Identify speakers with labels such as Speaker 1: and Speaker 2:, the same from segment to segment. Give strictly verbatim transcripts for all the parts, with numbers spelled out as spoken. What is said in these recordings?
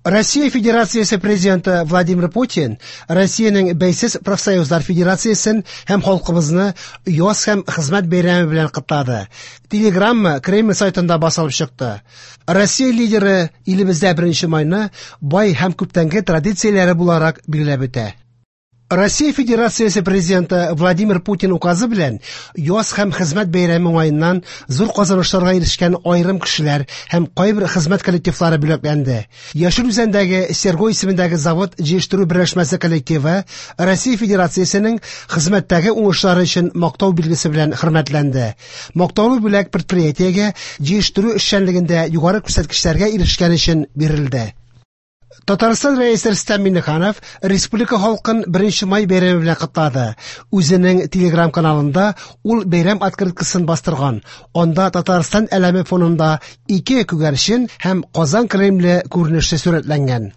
Speaker 1: Россия Федерациясе президенты Владимир Путин Россиянең Бәйсез профсоюзлар федерациясен һәм халкыбызны яз һәм хезмәт бәйрәме белән котлады. Телеграмма Кремль сайтында басылып чыкты. Россия лидеры илебездә беренче майны бай һәм күптәнге традицияләре буларак билгеләп үтә. Россия Федерациясе президенты Владимир Путин указы белән яз һәм хезмәт бәйрәме уңаеннан зур казанышларга ирешкән аерым кешеләр һәм кайбер хезмәт коллективлары бүләкләнде. Яшел Үзәндәге Серго исемендәге завод җыештыру берләшмәсе коллективы Россия Федерациясенең хезмәттәге уңышлары өчен мактау билгесе белән хөрмәтләнде. Мактаулы бүләк предприятиегә җыештыру эшчәнлегендә югары күрсәткечләргә ирешкән өчен бирелде. Татарстан Рәисе Рөстәм Миңнеханов республика халкын беренче май бәйрәме белән котлады. Үзенең Телеграм каналында ул бәйрәм открыткасын бастырган. Анда Татарстан әләме фонында ике күгәрчен һәм Казан Кремле күренеше сурәтләнгән.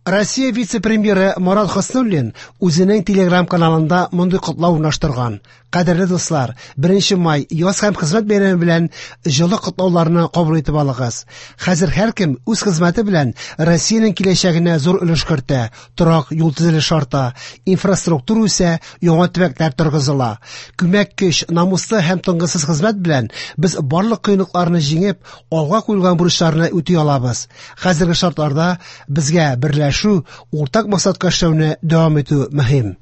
Speaker 1: Россия вице-премьеры Марат Хөснуллин үзенең Телеграм каналында мондый котлау урнаштырган. Кадерле дуслар, беренче май яз һәм хезмәт бәйрәме белән җылы котлауларны кабул итеп алыгыз. Хәзер һәркем үз хезмәте белән Россиянең киләчәгенә зур өлеш кертә. Торак, юл төзелеше арта, инфраструктура үсә, яңа төбәкләр торгызыла. Күмәк көч, намуслы һәм тынгысыз хезмәт белән без барлык кыенлыкларны җиңеп, алга куелган бурычларны үти алабыз. Хәзерге шартларда безгә берләшү, уртак максатка эшләүне дәвам итү мөһим.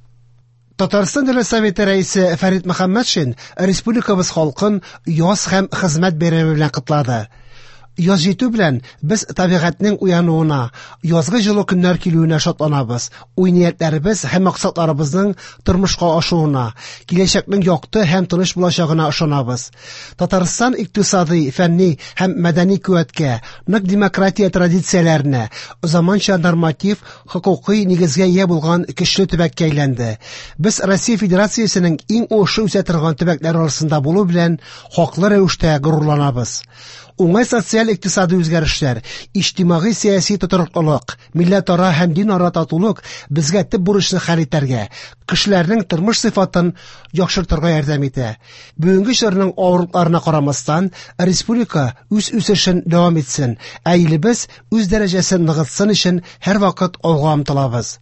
Speaker 1: Татарстан Дәүләт Советы рәисе Фәрит Мөхәммәтшин республикабыз халкын яз һәм хезмәт бәйрәме белән котлады. Яз җитү белән без табигатьнең уянуына, язгы җылы көннәр килүенә шатланабыз. Уй-ниятләребез һәм максатларыбызның тормышка ашуына, киләчәкнең якты һәм тыныч булачагына ышанабыз. Татарстан икътисади, фәнни һәм мәдәни куәткә, нык демократия традицияләренә, заманча норматив хокукый нигезгә ия булган көчле төбәккә әйләнде. Без Россия Федерациясенең иң уңышлы үсә торган төбәкләре арасында булу белән хаклы рәвештә горурланабыз. Уңай социаль икътисади үзгәрешләр, иҗтимагый сәяси тотрыклылык, милләтара һәм динара татулык безгә төп бурычны хәл итәргә, кешеләрнең тормыш сыйфатын яхшыртырга ярдәм итә. Бүгенге чорның авырлыкларына карамастан, республика үз үсешен дәвам итсен, ә илебез үз дәрәҗәсен ныгытсын өчен һәрвакыт алга омтылабыз.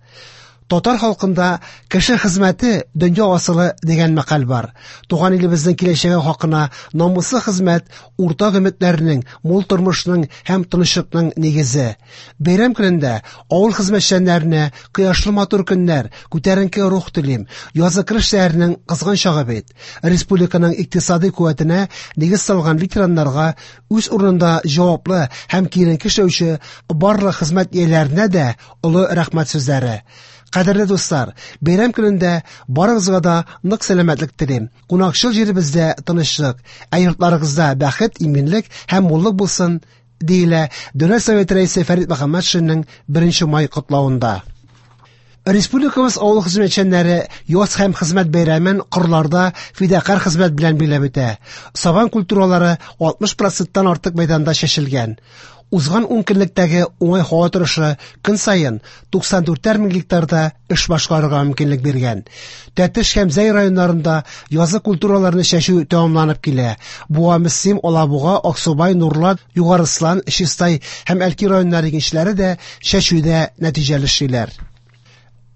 Speaker 1: Татар халкында кеше хезмәте дөнья асылы дигән мәкаль бар. Туган илебезнең киләчәге хакына намуслы хезмәт уртак өметләрнең, мул тормышның һәм тынычлыкның нигезе. Бәйрәм көнендә авыл хезмәтчәннәренә кояшлы матур көннәр, күтәренке рух телим. Язгы кыр эшләренең кызган чагы бит. Республиканың икътисади куәтенә нигез салган ветераннарга үз урынында җаваплы һәм киеренке эшләүче барлык хезмәт ияләренә дә олы рәхмәт сүзләре. Кадерле дуслар, бәйрәм көнендә барыгызга да нык сәламәтлек телим. Кунакчыл җиребездә тынычлык, ә йортларыгызда бәхет, иминлек һәм муллык булсын, диелә Дәүләт Советы рәисе Фәрит Мөхәммәтшинның беренче май котлавында. Республикабыз авыл хезмәтчәннәре яз һәм хезмәт бәйрәмен кырларда фидакарь хезмәт белән билгеләп үтә. Сабан культуралары алтмыш проценттан артык мәйданда чәчелгән. Узган ун көнлектәге уңай һава торышы көн саен туксан дүртәр мең гектарда эш башкарырга мөмкинлек биргән. Тәтеш һәм Зәй районнарында язгы культураларны чәчү тәмамланып килә. Буа, Мөслим, Алабуга, Аксубай, Нурлат, Югарыслан, Чистай һәм Әлки районнары игенчеләре дә чәчүдә нәтиҗәле эшлиләр.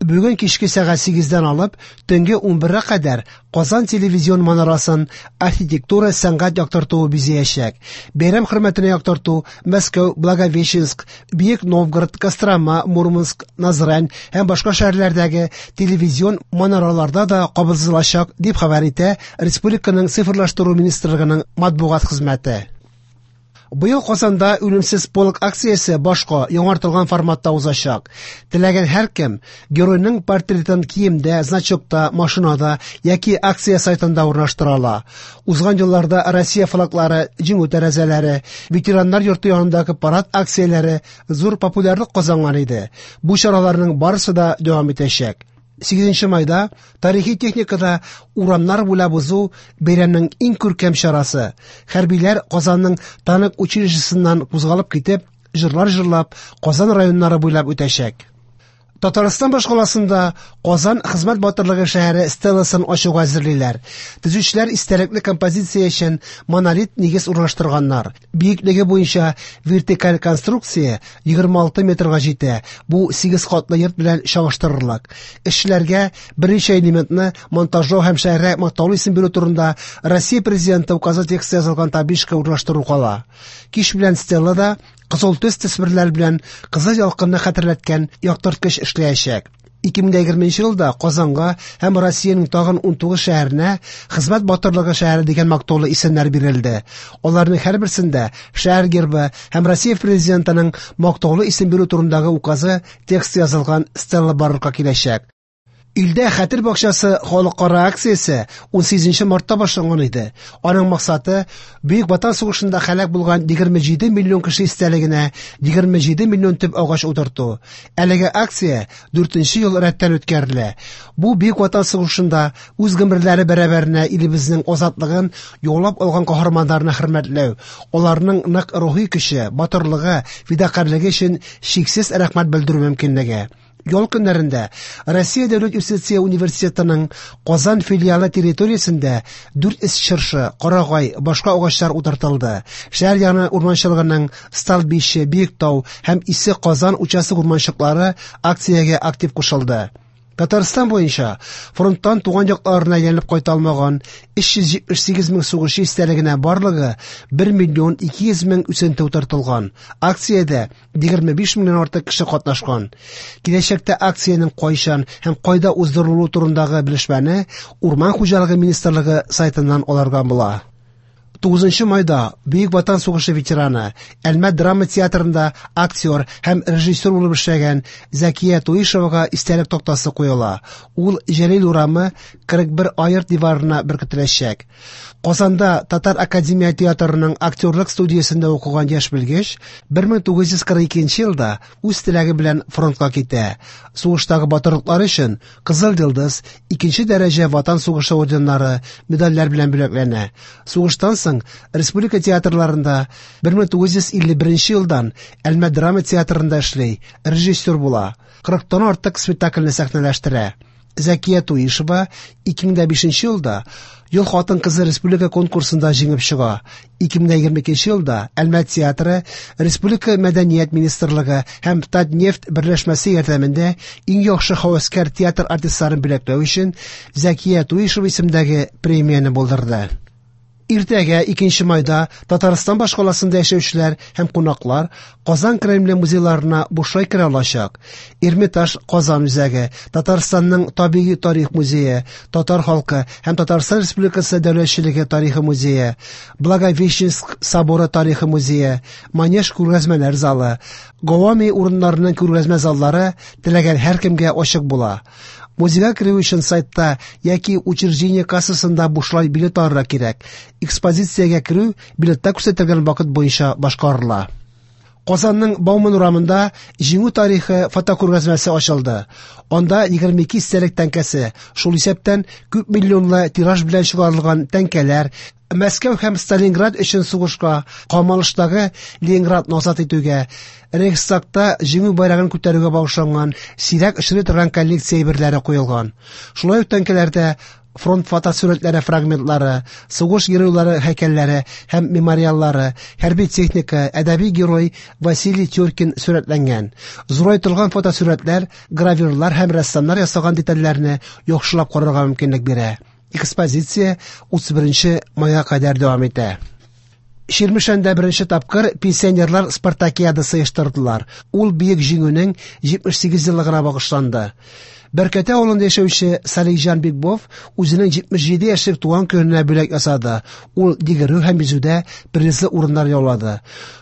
Speaker 1: Бүген кичке сәгать сигездән алып төнге унбергә кадәр Казан телевизион манарасын архитектура сәнгать яктыртуы бизәячәк. Бәйрәм хөрмәтенә яктырту Мәскәү, Благовещенск, Бөек Новгород, Кострома, Мурманск, Назрань һәм башка шәһәрләрдәге телевизион манараларда да кабызылачак, дип хәбәр итә Республиканың цифрлаштыру министрлыгының матбугат хезмәте. Быел Казанда үлемсез полк акциясе башка яңартылган форматта узачак. Теләгән һәркем геройның портретын киемдә, значокта, машинада яки акция сайтында урнаштыра ала. Узган елларда Россия флаглары, җиңү тәрәзәләре, ветераннар йорты янындагы парад акцияләре зур популярлык казанган иде. Бу чараларның барысы да дәвам итәчәк. Сигезенче майда тарихи техникада урамнар буйлап узу бәйрәмнең иң күркәм чарасы. Хәрбиләр Казанның танк училищесыннан кузгалып китеп, җырлар җырлап, Казан районнары буйлап үтәчәк. Татарстан башкаласында Казан хезмәт батырлыгы шәһәре стеласын ачуга әзерлиләр. Төзүчеләр истәлекле композиция өчен монолит нигез урнаштырганнар. Биеклеге буенча вертикаль конструкция егерме алты метрга җитә. Бу сигез катлы йорт белән чагыштырырлык. Эшчеләргә берничә элементны монтажлау һәм шәһәргә мактаулы исем бирү турында Россия президенты указы тексты язылган табличка урнаштыру кала. Кич белән стелада кызыл төс төсмерләр белән кызыл ялкынны хәтерләткән яктырткыч эшләячәк. ике мең егерменче елда Казанга һәм Россиянең тагын ун тугыз шәһәренә Хезмәт батырлыгы шәһәре дигән мактаулы исемнәр бирелде. Аларның һәрберсендә шәһәр гербы һәм Россия президентының мактаулы исем бирү турындагы указы тексты язылган стела барлыкка киләчәк. Илдә Хәтер бакчасы халыкара акциясе ун сигезенче мартта башланган иде. Аның максаты Бөек Ватан сугышында һәлак булган егерме җиде миллион кеше истәлегенә егерме җиде миллион төп агач утырту. Әлеге акция дүртенче ел рәттән үткәрелә. Бу Бөек Ватан сугышында үз гомерләре бәрабәренә илебезнең азатлыгын яулап алган каһарманнарны хөрмәтләү, аларның нык рухи көче, батырлыгы, фидакарьлеге өчен чиксез рәхмәт белдерү мөмкинлеге. Ял көннәрендә Россия Дәүләт юстиция университетының Казан филиалы территориясендә дүрт йөз чыршы, карагай, башка агачлар утыртылды. Шәһәр яны урманчылыгының Столбище, Биектау һәм Исе Казан участок урманчыклары акциягә актив кушылды. Татарстан буенча фронттан туган якларына әйләнеп кайта алмаган өч йөз җитмеш сигез мең сугышчы истәлегенә барлыгы бер миллион ике йөз мең үсенте утыртылган. Акциядә егерме биш меңнән артык кеше катнашкан. Киләчәктә акциянең кайчан һәм кайда уздырылуы турындагы белешмәне Урман хуҗалыгы министрлыгы сайтыннан алырга була. Тугызынчы майда Бөек Ватан сугышы ветераны, Әлмәт драма театрында актер һәм режиссер булып эшләгән Зәкия Туишевага истәлек тактасы куела. Ул Җәлил урамы кырык бер айырт диварына беркетеләчәк. Казанда Татар академия театрының актерлык студиясендә укыган яшь белгеч бер мең тугыз йөз кырык икенче елда үз теләге белән фронтка китә. Сугыштагы батырлыклары өчен Кызыл Йолдыз, икенче дәрәҗә Ватан сугышы орденнары, медальләр белән бүләкләнә. Сугыштан соң республика театрларында бер мең тугыз йөз илле беренче елдан Әлмәт драма театрында эшли, режиссер була. Кырыктан артык спектакльне сәхнәләштерә. Зәкия Туишева ике мең бишенче елда Ел хатын-кызы республика конкурсында җиңеп чыга. Ике мең егерме икенче елда Әлмәт театры Республика мәдәният министрлыгы һәм Татнефть берләшмәсе ярдәмендә иң яхшы һәвәскәр театр артистларын бүләкләү өчен Зәкия Туишева исемендәге премияне булдырды. Иртәгә икенче майда Татарстан башкаласында яшәүчеләр һәм кунаклар Казан Кремле музейларына бушлай керә алачак. Эрмитаж Казан үзәге, Татарстанның табигый тарих музее, Татар халкы һәм Татарстан Республикасы дәүләтчелеге тарихы музее, Благовещенск соборы тарихы музее, Манеж күргәзмәләр залы, Гавами урыннарының күргәзмә заллары теләгән һәркемгә ачык була. Музейга керү өчен сайтта яки учреждение кассасында бушлай билет алырга кирәк. Экспозициягә керү билетта күрсәтелгән вакыт буенча башкарыла. Казанның Бауман урамында Җиңү тарихы фотокүргәзмәсе ачылды. Анда егерме ике истәлек тәңкәсе, шул исәптән күп миллионлы тираж белән чыгарылган тәңкәләр, Мәскәү һәм Сталинград өчен сугышка, камалыштагы Ленинградны азат итүгә, Рейхстагта Җиңү байрагын күтәрүгә багышланган сирәк очрый торган коллекция әйберләре куелган. Шулай ук тәңкәләрдә фронт фотосурәтләре фрагментлары, сугыш геройлары һәйкәлләре һәм мемориаллары, хәрби техника, әдәби герой Василий Тюркин сурәтләнгән. Зурайтылган фотосурәтләр гравюрлар һәм рәссамнар ясаган детальләрне яхшылап карарга мөмкинлек бирә. Экспозиция утыз беренче майга кадәр дәвам итә. Чирмешәндә беренче тапкыр пенсионерлар спартакиадасы оештырдылар. Ул Бөек Җиңүнең җитмеш сигез еллыгына багышланды. Бәркәтә авылында яшәүче Салихҗан Бикбов үзенең җитмеш җиде яшьлек туган көненә бүләк ясады. Ул йөгерү һәм йөзүдә призлы урыннар яулады.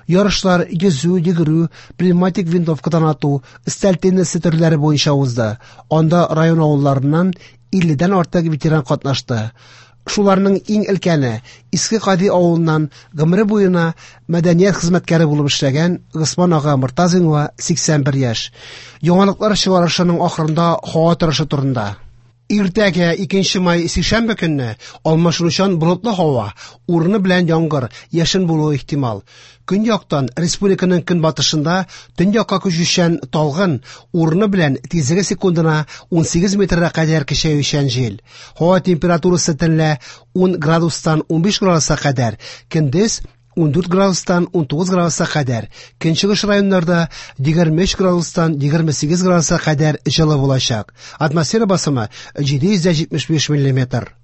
Speaker 1: Ярышлар йөзү, йөгерү, пневматик винтовкадан ату, өстәл теннисы төрләре буенча узды. Анда район авылларыннан илледән артык ветеран катнашты. Шуларның иң өлкәне Иске Кади авылыннан гомере буена мәдәният хезмәткәре булып эшләгән Госман ага Мортазинга сиксән бер яшь. Яңалыклар чыгарышының ахырында һава торышы турында. Иртәгә икенче май сишәмбе көнне алмашынучан болытлы һава, урыны белән яңгыр, яшен булуы ихтимал. Көньяктан республиканың көнбатышында төньякка күчүчән талгын, урыны белән тизлеге секундына унсигез метрга кадәр көчәючән җил. Һава температурасы төнлә ун градустан унбиш градуска кадәр, көндез ундүрт градустан унтугыз градуска кадәр, көнчыгыш районнарда егерме өч градустан егерме сигез градуска кадәр җылы булачак. Атмосфера басымы җиде йөз дә җитмеш биш миллиметр.